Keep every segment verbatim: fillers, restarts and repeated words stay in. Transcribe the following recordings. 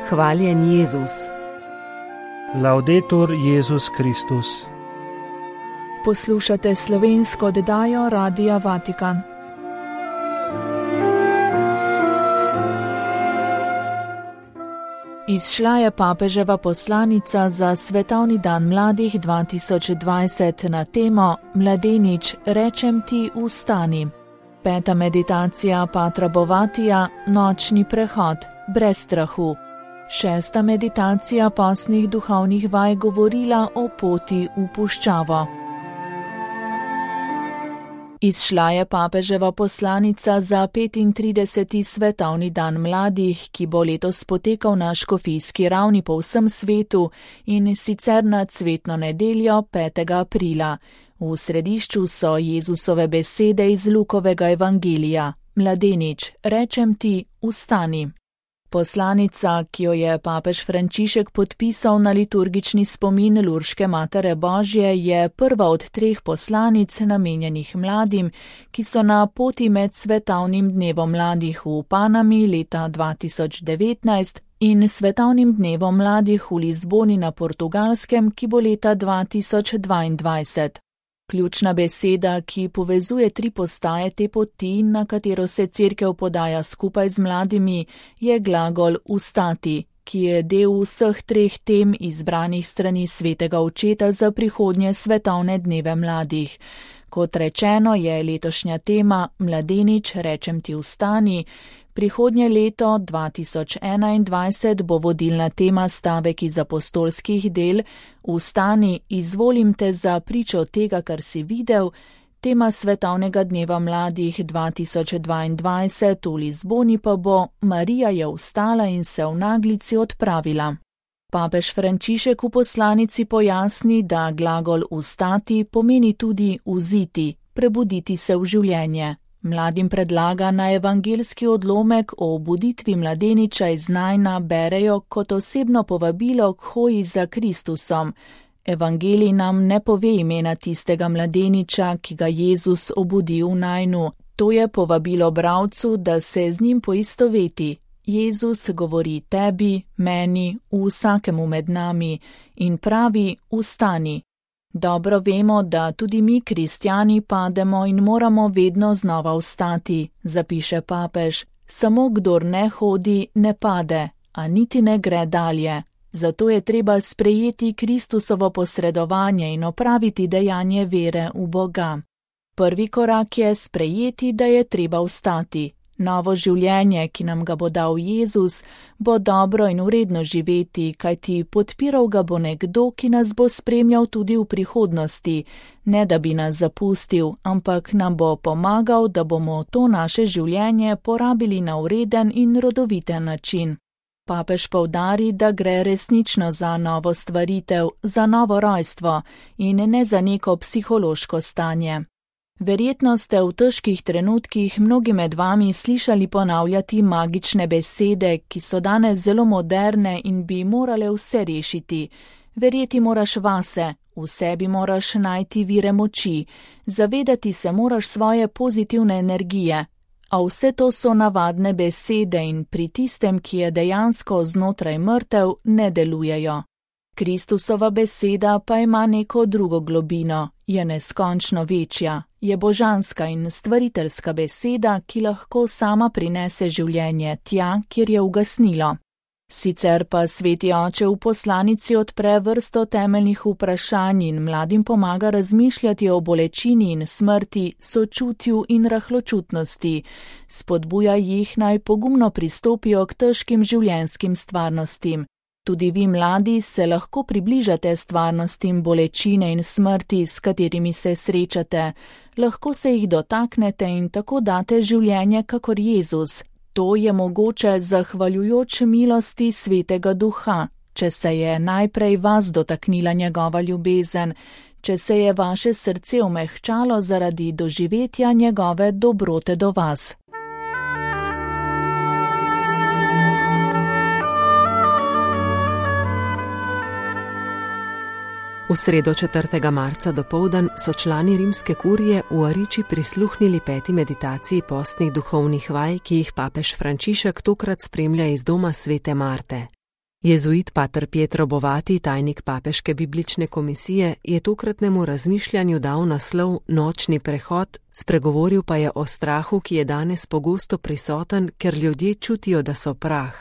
Hvaljen Jezus. Laudetur Jezus Kristus. Poslušate slovensko oddajo Radia Vatikan. Izšla je papeževa poslanica za Svetovni dan mladih dva tisoč dvajset na temo Mladenič, rečem ti, vstani. Peta meditacija Patra Bovatija, nočni prehod, brez strahu. Šesta meditacija postnih duhovnih vaj govorila o poti v puščavo. Izšla je papeževa poslanica za petintrideseti Svetovni dan mladih, ki bo letos potekal na škofijski ravni po vsem svetu in sicer na cvetno nedeljo petega aprila. V središču so Jezusove besede iz Lukovega evangelija. Mladenič, rečem ti, vstani. Poslanica, ki jo je papež Frančišek podpisal na liturgični spomin Lurške Matere Božje, je prva od treh poslanic namenjenih mladim, ki so na poti med Svetovnim dnevom mladih v Panami leta dva tisoč devetnajst in Svetovnim dnevom mladih v Lizboni na Portugalskem, ki bo leta dva tisoč dvaindvajset. Ključna beseda, ki povezuje tri postaje te poti, na katero se Cerkev podaja skupaj z mladimi, je glagol vstati, ki je del vseh treh tem izbranih strani Svetega Očeta za prihodnje svetovne dneve mladih. Kot rečeno, je letošnja tema Mladenič, rečem ti, vstani. Prihodnje leto dva tisoč enaindvajset bo vodilna tema stavek iz apostolskih del Vstani, izvolim te za pričo tega, kar si videl. Tema svetovnega dneva mladih dva tisoč dvaindvajset v Lizboni pa bo Marija je vstala in se v naglici odpravila. Papež Frančišek v poslanici pojasni, da glagol vstati pomeni tudi vziti, prebuditi se v življenje. Mladim predlaga na evangelski odlomek o obuditvi mladeniča iz Najna berejo kot osebno povabilo k hoji za Kristusom. Evangelij nam ne pove imena tistega mladeniča, ki ga Jezus obudi v Najnu. To je povabilo bralcu, da se z njim poistoveti. Jezus govori tebi, meni, vsakemu med nami in pravi: vstani. Dobro vemo, da tudi mi, kristjani, pademo in moramo vedno znova vstati, zapiše papež. Samo kdor ne hodi, ne pade, a niti ne gre dalje. Zato je treba sprejeti Kristusovo posredovanje in opraviti dejanje vere v Boga. Prvi korak je sprejeti, da je treba vstati. Novo življenje, ki nam ga bo dal Jezus, bo dobro in uredno živeti, kajti podpiral ga bo nekdo, ki nas bo spremljal tudi v prihodnosti, ne da bi nas zapustil, ampak nam bo pomagal, da bomo to naše življenje porabili na ureden in rodoviten način. Papež poudari, da gre resnično za novo stvaritev, za novo rojstvo in ne za neko psihološko stanje. Verjetno ste v težkih trenutkih mnogi med vami slišali ponavljati magične besede, ki so danes zelo moderne in bi morale vse rešiti. Verjeti moraš vase, v sebi moraš najti vire moči, zavedati se moraš svoje pozitivne energije. A vse to so navadne besede in pri tistem, ki je dejansko znotraj mrtev, ne delujejo. Kristusova beseda pa ima neko drugo globino, je neskončno večja, je božanska in stvariteljska beseda, ki lahko sama prinese življenje tja, kjer je ugasnilo. Sicer pa Sveti Oče v poslanici odpre vrsto temeljnih vprašanj in mladim pomaga razmišljati o bolečini in smrti, sočutju in rahločutnosti. Spodbuja jih naj pogumno pristopijo k težkim življenjskim stvarnostim. Tudi vi, mladi, se lahko približate stvarnostim bolečine in smrti, s katerimi se srečate. Lahko se jih dotaknete in tako date življenje kakor Jezus. To je mogoče zahvaljujoč milosti Svetega Duha, če se je najprej vas dotaknila njegova ljubezen, če se je vaše srce omehčalo zaradi doživetja njegove dobrote do vas. V sredo četrtega marca dopoldan so člani rimske kurije v Ariči prisluhnili peti meditaciji postnih duhovnih vaj, ki jih papež Frančišek tokrat spremlja iz doma svete Marte. Jezuit pater Pietro Bovati, tajnik papeške biblične komisije, je tokratnemu razmišljanju dal naslov Nočni prehod, spregovoril pa je o strahu, ki je danes pogosto prisoten, ker ljudje čutijo, da so prah.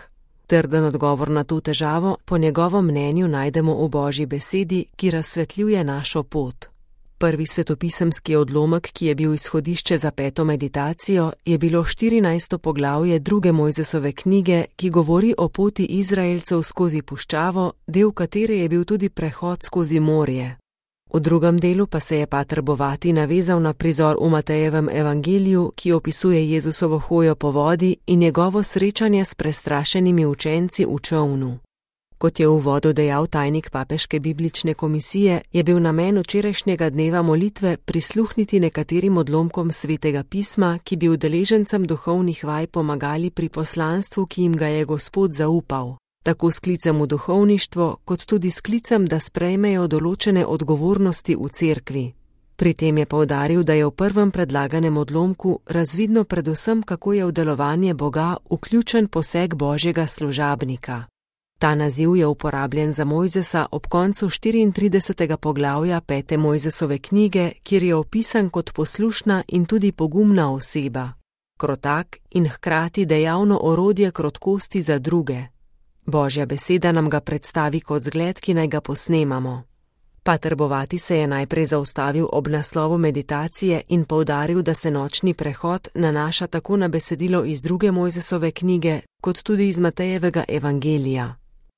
Trden odgovor na to težavo po njegovem mnenju najdemo v Božji besedi, ki razsvetljuje našo pot. Prvi svetopisemski odlomek, ki je bil izhodišče za peto meditacijo, je bilo štirinajsto poglavje druge Mojzesove knjige, ki govori o poti Izraelcev skozi puščavo, del katere je bil tudi prehod skozi morje. V drugem delu pa se je pater Bovati navezal na prizor v Matejevem evangeliju, ki opisuje Jezusovo hojo po vodi in njegovo srečanje s prestrašenimi učenci v čolnu. Kot je v uvodu dejal tajnik papeške biblične komisije, je bil namen včerajšnjega dneva molitve prisluhniti nekaterim odlomkom svetega pisma, ki bi udeležencem duhovnih vaj pomagali pri poslanstvu, ki jim ga je Gospod zaupal, tako s klicem v duhovništvo, kot tudi s klicem, da sprejmejo določene odgovornosti v cerkvi. Pri tem je poudaril, da je v prvem predlaganem odlomku razvidno predvsem, kako je v delovanje Boga vključen poseg Božjega služabnika. Ta naziv je uporabljen za Mojzesa ob koncu štiriintridesetega poglavja pete Mojzesove knjige, kjer je opisan kot poslušna in tudi pogumna oseba, krotak in hkrati dejavno orodje krotkosti za druge. Božja beseda nam ga predstavi kot zgled, ki naj ga posnemamo. Pater Bovati se je najprej zaustavil ob naslovu meditacije in poudaril, da se nočni prehod nanaša tako na besedilo iz druge Mojzesove knjige, kot tudi iz Matejevega evangelija.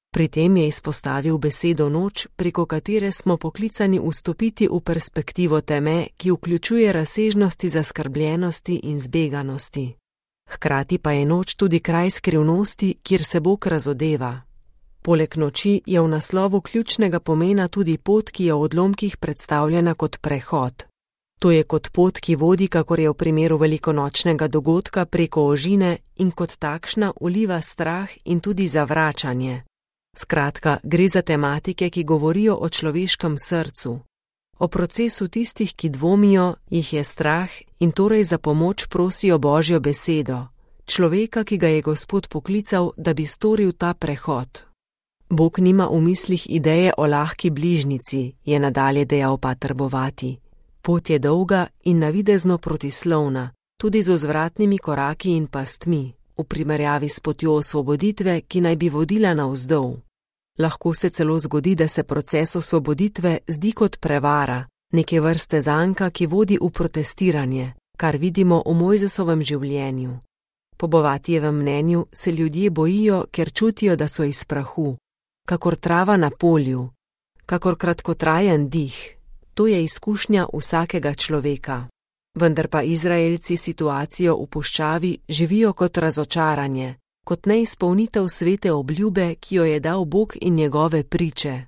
Pri tem je izpostavil besedo noč, preko katere smo poklicani vstopiti v perspektivo teme, ki vključuje razsežnosti zaskrbljenosti in zbeganosti. Hkrati pa je noč tudi kraj skrivnosti, kjer se Bog razodeva. Poleg noči je v naslovu ključnega pomena tudi pot, ki je v odlomkih predstavljena kot prehod. To je kot pot, ki vodi, kakor je v primeru velikonočnega dogodka, preko ožine in kot takšna vliva strah in tudi zavračanje. Skratka, gre za tematike, ki govorijo o človeškem srcu. O procesu tistih, ki dvomijo, jih je strah in torej za pomoč prosijo Božjo besedo, človeka, ki ga je Gospod poklical, da bi storil ta prehod. Bog nima v mislih ideje o lahki bližnici, je nadalje dejal pater Bovati. Pot je dolga in navidezno protislovna, tudi z vzvratnimi koraki in pastmi, v primerjavi s potjo osvoboditve, ki naj bi vodila navzdol. Lahko se celo zgodi, da se proces osvoboditve zdi kot prevara, neke vrste zanka, ki vodi v protestiranje, kar vidimo v Mojzesovem življenju. Po Bovatijevem mnenju se ljudje bojijo, ker čutijo, da so iz prahu, kakor trava na polju, kakor kratkotrajen dih. To je izkušnja vsakega človeka. Vendar pa Izraelci situacijo v puščavi živijo kot razočaranje, kot neizpolnitev svete obljube, ki jo je dal Bog in njegove priče.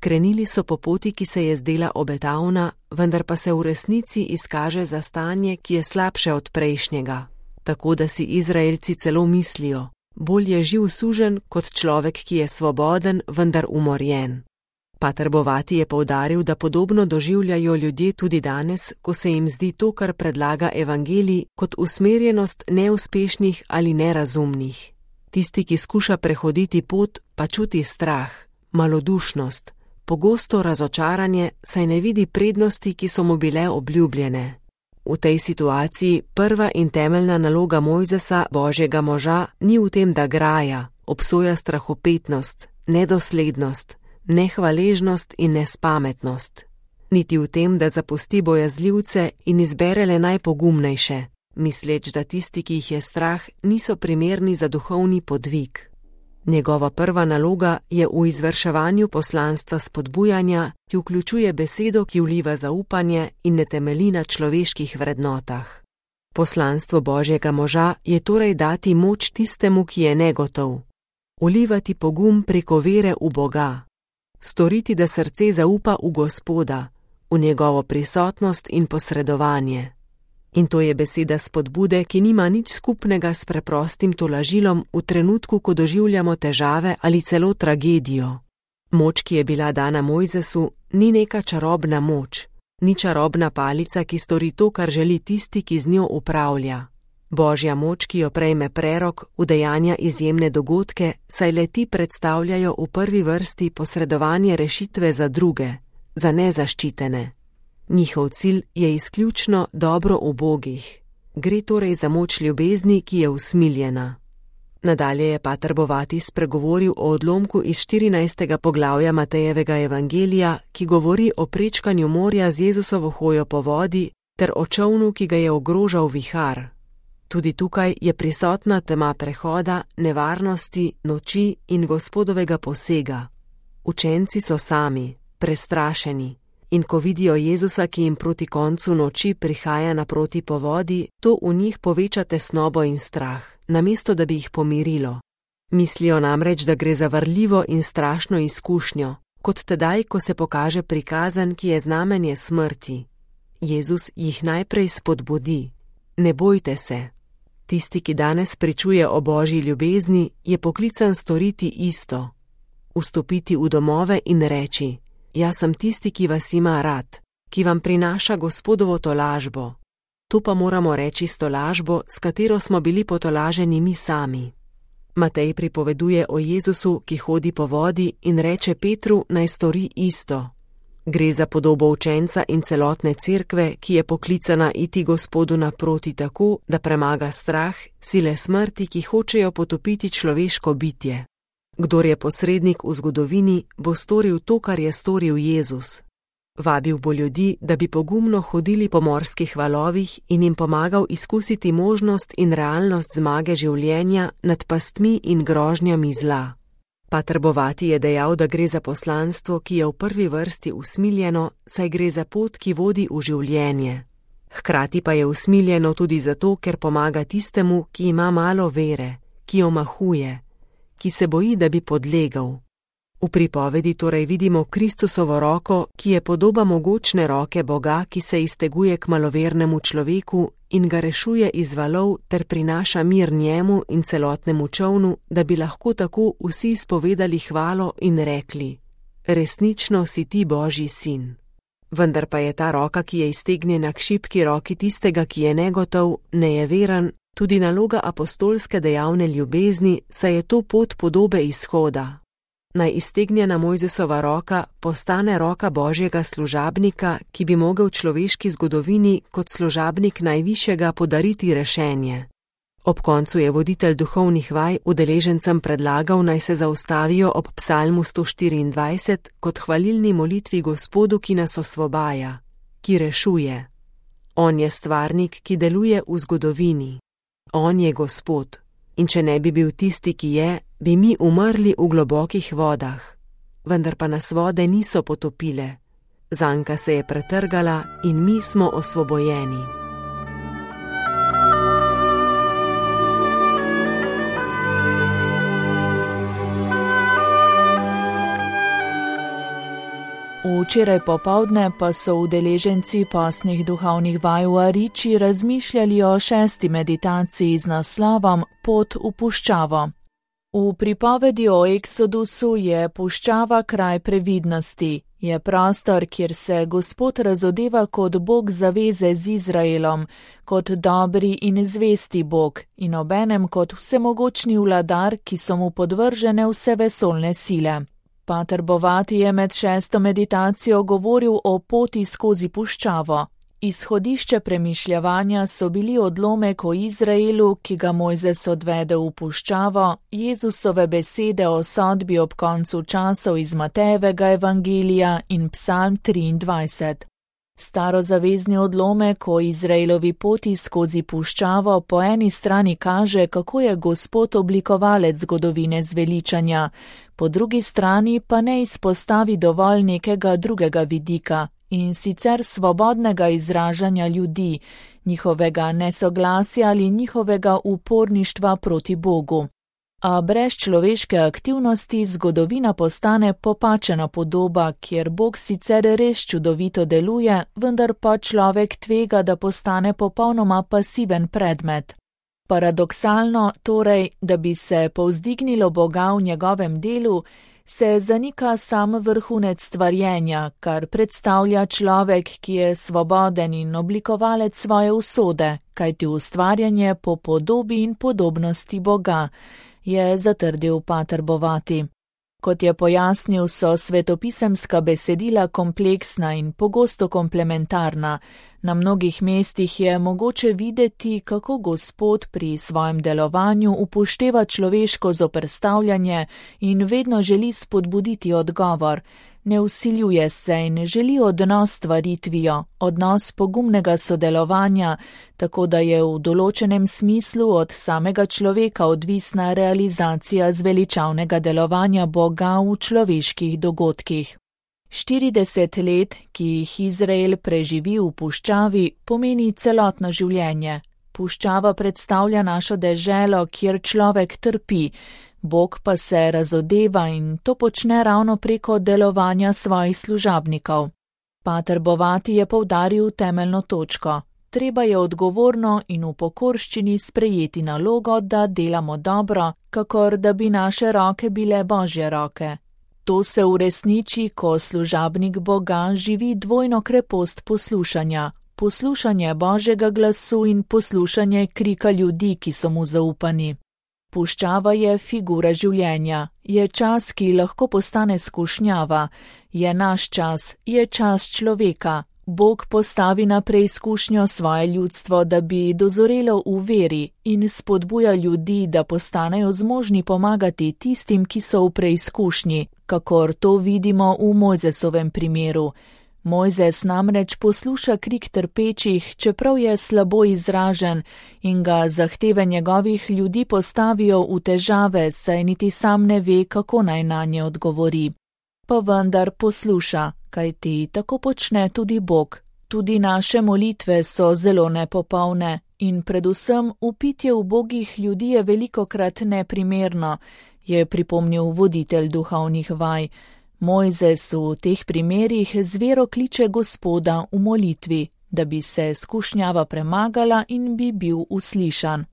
Krenili so po poti, ki se je zdela obetavna, vendar pa se v resnici izkaže za stanje, ki je slabše od prejšnjega. Tako da si Izraelci celo mislijo, bolj je živ suženj kot človek, ki je svoboden, vendar umorjen. Pater Bovati je poudaril, da podobno doživljajo ljudje tudi danes, ko se jim zdi to, kar predlaga evangelij, kot usmerjenost neuspešnih ali nerazumnih. Tisti, ki skuša prehoditi pot, pa čuti strah, malodušnost, pogosto razočaranje, saj ne vidi prednosti, ki so mu bile obljubljene. V tej situaciji prva in temeljna naloga Mojzesa, Božjega moža, ni v tem, da graja, obsoja strahopetnost, nedoslednost, nehvaležnost in nespametnost. Niti v tem, da zapusti bojazljivce in izbere le najpogumnejše, misleč, da tisti, ki jih je strah, niso primerni za duhovni podvig. Njegova prva naloga je v izvrševanju poslanstva spodbujanja, ki vključuje besedo, ki vliva zaupanje in ne temelji na človeških vrednotah. Poslanstvo Božjega moža je torej dati moč tistemu, ki je negotov, vlivati pogum preko vere v Boga, storiti, da srce zaupa v Gospoda, v njegovo prisotnost in posredovanje. In to je beseda spodbude, ki nima nič skupnega s preprostim tolažilom v trenutku, ko doživljamo težave ali celo tragedijo. Moč, ki je bila dana Mojzesu, ni neka čarobna moč, ni čarobna palica, ki stori to, kar želi tisti, ki z njo upravlja. Božja moč, ki jo prejme prerok, udejanja izjemne dogodke, saj le ti predstavljajo v prvi vrsti posredovanje rešitve za druge, za nezaščitene. Njihov cilj je izključno dobro ubogih. Gre torej za moč ljubezni, ki je usmiljena. Nadalje je pater Bovati spregovoril o odlomku iz štirinajstega poglavja Matejevega evangelija, ki govori o prečkanju morja z Jezusovo hojo po vodi ter o čolnu, ki ga je ogrožal vihar. Tudi tukaj je prisotna tema prehoda, nevarnosti, noči in Gospodovega posega. Učenci so sami, prestrašeni, in ko vidijo Jezusa, ki jim proti koncu noči prihaja naproti po vodi, to v njih poveča tesnobo in strah, namesto da bi jih pomirilo. Mislijo namreč, da gre za varljivo in strašno izkušnjo, kot tedaj, ko se pokaže prikazan, ki je znamenje smrti. Jezus jih najprej spodbudi. Ne bojte se. Tisti, ki danes pričuje o Božji ljubezni, je poklican storiti isto. Vstopiti v domove in reči: jaz sem tisti, ki vas ima rad, ki vam prinaša Gospodovo tolažbo. To pa moramo reči s tolažbo, s katero smo bili potolaženi mi sami. Matej pripoveduje o Jezusu, ki hodi po vodi in reče Petru, naj stori isto. Gre za podobo učenca in celotne cerkve, ki je poklicana iti Gospodu naproti tako, da premaga strah, sile smrti, ki hočejo potopiti človeško bitje. Kdor je posrednik v zgodovini, bo storil to, kar je storil Jezus. Vabil bo ljudi, da bi pogumno hodili po morskih valovih in jim pomagal izkusiti možnost in realnost zmage življenja nad pastmi in grožnjami zla. Pater Bovati je dejal, da gre za poslanstvo, ki je v prvi vrsti usmiljeno, saj gre za pot, ki vodi v življenje. Hkrati pa je usmiljeno tudi zato, ker pomaga tistemu, ki ima malo vere, ki omahuje, ki se boji, da bi podlegal. V pripovedi torej vidimo Kristusovo roko, ki je podoba mogočne roke Boga, ki se izteguje k malovernemu človeku in ga rešuje iz valov ter prinaša mir njemu in celotnemu čolnu, da bi lahko tako vsi spovedali hvalo in rekli: resnično si ti Božji sin. Vendar pa je ta roka, ki je iztegnjena k šibki roki tistega, ki je negotov, nejeveren, tudi naloga apostolske dejavne ljubezni, saj je to pot podobe izhoda. Naj iztegnjena Mojzesova roka postane roka Božjega služabnika, ki bi mogel človeški zgodovini kot služabnik najvišjega podariti rešenje. Ob koncu je voditelj duhovnih vaj udeležencem predlagal, naj se zaustavijo ob psalmu sto štiriindvajset kot hvalilni molitvi Gospodu, ki nas osvobaja, ki rešuje. On je stvarnik, ki deluje v zgodovini. On je Gospod. In če ne bi bil tisti, ki je, bi mi umrli v globokih vodah. Vendar pa nas vode niso potopile. Zanka se je pretrgala in mi smo osvobojeni. Včeraj popovdne pa so udeleženci pasnih duhovnih vaj v Ariči razmišljali o šesti meditaciji z naslovom Pot v puščavo. V pripovedi o Eksodusu je puščava kraj previdnosti, je prostor, kjer se Gospod razodeva kot Bog zaveze z Izraelom, kot dobri in zvesti Bog in obenem kot vsemogočni vladar, ki so mu podvržene vse vesoljne sile. Pater Bovati je med šesto meditacijo govoril o poti skozi puščavo. Izhodišče premišljevanja so bili odlomek o Izraelu, ki ga Mojzes odvede v puščavo, Jezusove besede o sodbi ob koncu časov iz Matejevega evangelija in psalm triindvajset. Starozavezni odlomek o Izraelovi poti skozi puščavo po eni strani kaže, kako je Gospod oblikovalec zgodovine zveličanja, po drugi strani pa ne izpostavi dovolj nekega drugega vidika, in sicer svobodnega izražanja ljudi, njihovega nesoglasja ali njihovega uporništva proti Bogu. A brez človeške aktivnosti zgodovina postane popačena podoba, kjer Bog sicer res čudovito deluje, vendar pa človek tvega, da postane popolnoma pasiven predmet. Paradoksalno torej, da bi se povzdignilo Boga v njegovem delu, se zanika sam vrhunec stvarjenja, kar predstavlja človek, ki je svoboden in oblikovalec svoje usode, kajti ustvarjanje po podobi in podobnosti Boga, je zatrdil pater Bovati. Kot je pojasnil, so svetopisemska besedila kompleksna in pogosto komplementarna. Na mnogih mestih je mogoče videti, kako Gospod pri svojem delovanju upošteva človeško zoperstavljanje in vedno želi spodbuditi odgovor. Ne vsiljuje se in želi odnos s stvaritvijo, odnos pogumnega sodelovanja, tako da je v določenem smislu od samega človeka odvisna realizacija zveličavnega delovanja Boga v človeških dogodkih. štirideset let, ki jih Izrael preživi v puščavi, pomeni celotno življenje. Puščava predstavlja našo deželo, kjer človek trpi, Bog pa se razodeva in to počne ravno preko delovanja svojih služabnikov. Pater Bovati je poudaril temeljno točko. Treba je odgovorno in v pokorščini sprejeti nalogo, da delamo dobro, kakor da bi naše roke bile Božje roke. To se uresniči, ko služabnik Boga živi dvojno krepost poslušanja. Poslušanje Božjega glasu in poslušanje krika ljudi, ki so mu zaupani. Puščava je figura življenja, je čas, ki lahko postane skušnjava, je naš čas, je čas človeka. Bog postavi na preizkušnjo svoje ljudstvo, da bi dozorelo v veri in spodbuja ljudi, da postanejo zmožni pomagati tistim, ki so v preizkušnji, kakor to vidimo v Mojzesovem primeru. Mojzes namreč posluša krik trpečih, čeprav je slabo izražen in ga zahteve njegovih ljudi postavijo v težave, saj niti sam ne ve, kako naj nanje odgovori. Pa vendar posluša, kajti tako počne tudi Bog. Tudi naše molitve so zelo nepopolne in predvsem upitje ubogih ljudi je velikokrat neprimerno, je pripomnil voditelj duhovnih vaj. Mojzes v teh primerih z vero kliče Gospoda v molitvi, da bi se skušnjava premagala in bi bil uslišan.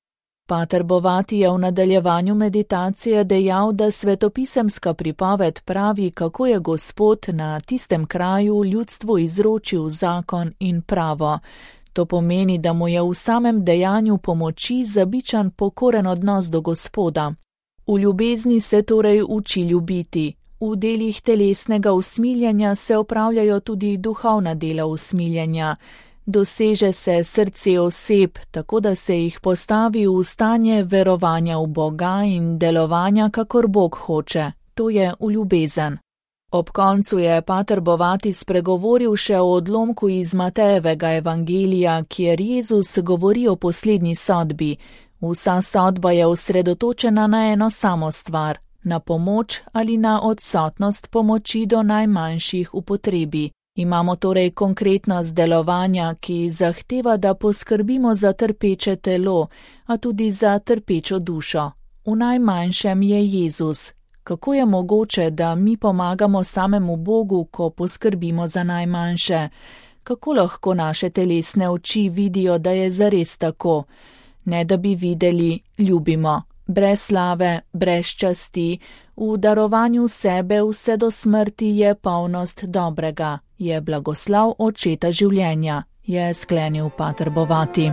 Pater Bovati je v nadaljevanju meditacije dejal, da svetopisemska pripoved pravi, kako je Gospod na tistem kraju ljudstvu izročil zakon in pravo. To pomeni, da mu je v samem dejanju pomoči zabičan pokoren odnos do Gospoda. V ljubezni se torej uči ljubiti. V delih telesnega usmiljanja se opravljajo tudi duhovna dela usmiljanja. Doseže se srce oseb, tako da se jih postavi v stanje verovanja v Boga in delovanja, kakor Bog hoče. To je v ljubezen. Ob koncu je pater Bovati spregovoril še o odlomku iz Matejevega evangelija, kjer Jezus govori o poslednji sodbi. Vsa sodba je osredotočena na eno samo stvar, na pomoč ali na odsotnost pomoči do najmanjših v potrebi. Imamo torej konkretnost delovanja, ki zahteva, da poskrbimo za trpeče telo, a tudi za trpečo dušo. V najmanjšem je Jezus. Kako je mogoče, da mi pomagamo samemu Bogu, ko poskrbimo za najmanjše? Kako lahko naše telesne oči vidijo, da je zares tako? Ne da bi videli, ljubimo. Brez slave, brez časti, v darovanju sebe vse do smrti je polnost dobrega, je blagoslav očeta življenja, je sklenil pater Bovati.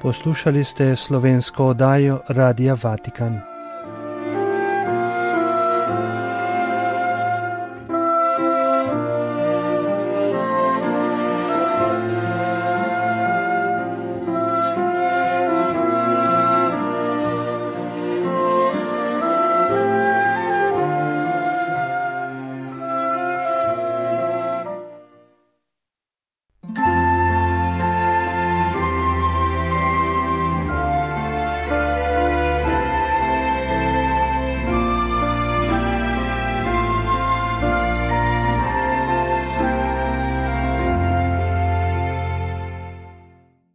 Poslušali ste slovensko oddajo Radia Vatikan.